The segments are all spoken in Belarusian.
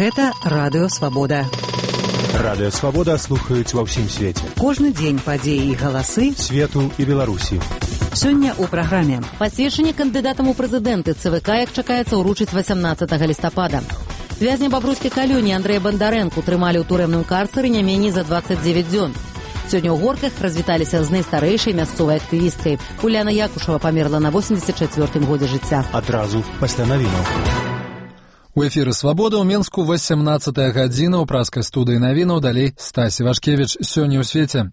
Гэта Радыё Свабода. Радыё Свабода слухаюць ва ўсім свеце. Кожны дзень падзеі і галасы свету і Беларусі. Сёння ў праграме. Пасведчанне кандыдатам у прэзідэнты ЦВК, як чакаецца, ўручыць 18 лістапада. Вязня бабруйскай калоніі Андрэя Бандарэнку трымалі ў турэмным карцары не меней за 29 дзён. Сёння ў Горках развіталіся з найстарэйшай мясцовай актывісткай. Уляна Якушева памерла на 84-м годзе жыцця. Адразу пасля навінаў. У эфіры «Свабода» ў Менску 18-я гадзіна ў праскай студыі навінаў, далей Стасі Вашкевіч. Сёння ў свеце.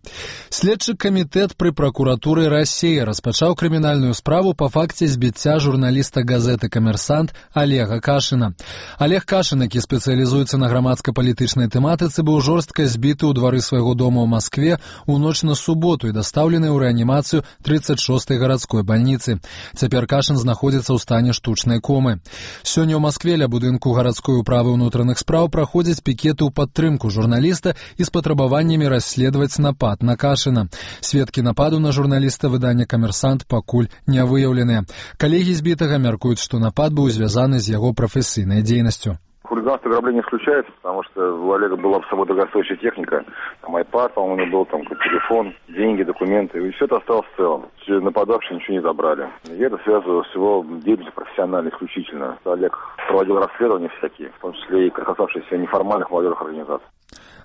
Следчы камітэт пры пракуратуры Расіі распачаў крымінальную справу па факце збіцця журналіста газеты «Камерсант» Олега Кашына. Олег Кашын, які спецыялізуецца на грамадска-палітычнай тэматыцы, быў жорстка збіты ў двары свайго дома ў Маскве ў ноч на суботу і дастаўлены ў рэанімацыю 36-й гарадской бальніцы. Цяпер Кашын знаходзіцца ў стане штучнай комы. Сёння ў Маскве ля будынку гарадской управы ўнутраных спраў праходзяць пікеты ў падтрымку журналіста і з патрабаваннямі расследаваць напад на Кашына. Сведкі нападу на журналіста выдання «Камерсант» пакуль не выяўленыя. Калегі збітага мяркуюць, што напад быў звязаны з яго прафесійнай дзейнасцю. Хулиганство и ограбление исключается, потому что у Олега была с собой дорогостоящая техника, там iPad, по-моему, у него был, там телефон, деньги, документы, и все это осталось в целом. Нападавшие ничего не забрали. И это связано с его деятельностью профессионально, исключительно. Олег проводил расследования всякие, в том числе и касавшиеся неформальных молодежных организаций.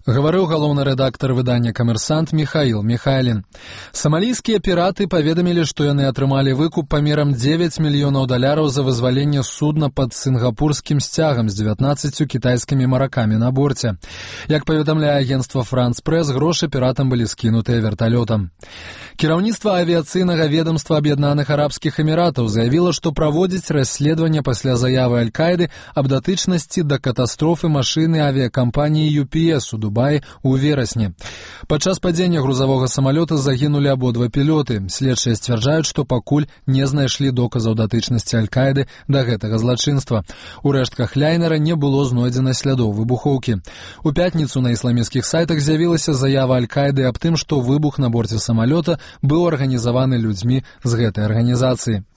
Гаварыў галоўны рэдактар выдання «Камерсант» Михаил Михайлин. Самалійскія піраты паведамілі, што яны атрымалі выкуп памерам $9 мільёнаў за вызваленне судна пад сінгапурскім сцягам з 19 кітайскімі маракамі на борце. Як паведамляе агенцтва «Франц Прэс», грошы піратам былі скінутыя верталётам. Кіраўніцтва авіяцыйнага ведомства Аб'яднаных Арабскіх Эміратаў заявіла, што праводзіць расследаванне пасля заявы Аль-Каіды аб датычнасці да катастрофы машыны авіякампаніі UPS у Дубаі ў верасні. Падчас падзення грузавога самалёта загінулі абодва пілоты. Следчыя сцвярджаюць, што пакуль не знайшлі доказаў датычнасці Аль-Каіды да гэтага злачынства. У рэштках ляйнера не было знойдзена слядоў выбухоўкі. У пятніцу на ісламісцкіх сайтах з'явілася заява Аль-Каіды аб тым, што выбух на борце самалёта быў арганізаваны людзьмі з гэтай арганізацыі.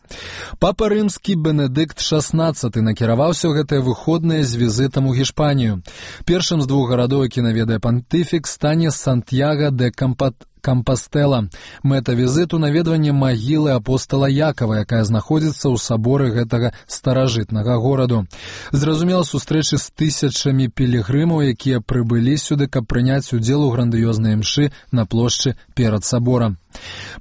Папа рымскі Бенедыкт XVI накіраваўся ў гэтыя выходныя з візітам у Гішпанію. Першым з двух гарадоў, які наведае пантыфік, стане Сантьяго де Кампастела. Мэта візіту — наведванне магілы апостала Якова, якая знаходзіцца ў саборы гэтага старажытнага гораду. Зразумела, сустрэчы з тысячамі пілігрымаў, якія прыбылі сюды, каб прыняць удзел у грандыёзнай імшы на плошчы перад саборам.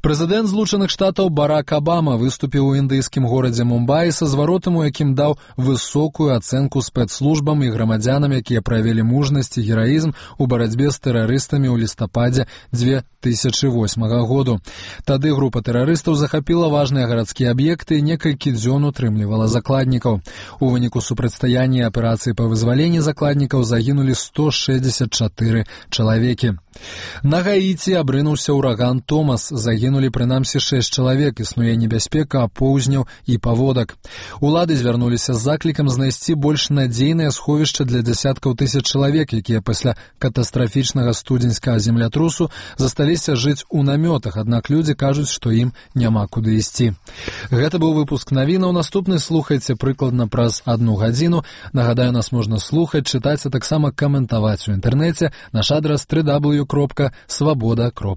Прэзідэнт Злучаных Штатаў Барак Абама выступіў у індыйскім горадзе Мумбаі са зваротам, у якім даў высокую ацэнку спецслужбам і грамадзянам, якія праявілі мужнасць і гераізм у барацьбе з тэрарыстамі ў лістападзе 2008 году. Тады група тэрарыстаў захапіла важныя гарадскія аб'екты і некалькі дзён утрымлівала закладнікаў. У выніку супрацьстаяння аперацыі па вызваленні закладнікаў загінулі 164 чалавекі. На Гаіці абрынуўся ўраган Томас. Загінулі прынамсі 6 чалавек. Існуе небяспека апоўзняў і паводак. Улады звярнуліся з заклікам знайсці больш надзейнае сховішча для дзясяткаў тысяч чалавек, якія пасля катастрафічнага студзеньскага землятрусу засталіся жыць у намётах, аднак людзі кажуць, што ім няма куды ісці. Гэта быў выпуск навінаў. Наступны слухайце прыкладна праз 1 гадзіну. Нагадаю, нас можна слухаць, чытаць, а таксама каментаваць у інтэрнэце. Наш адрас www.swaboda.org.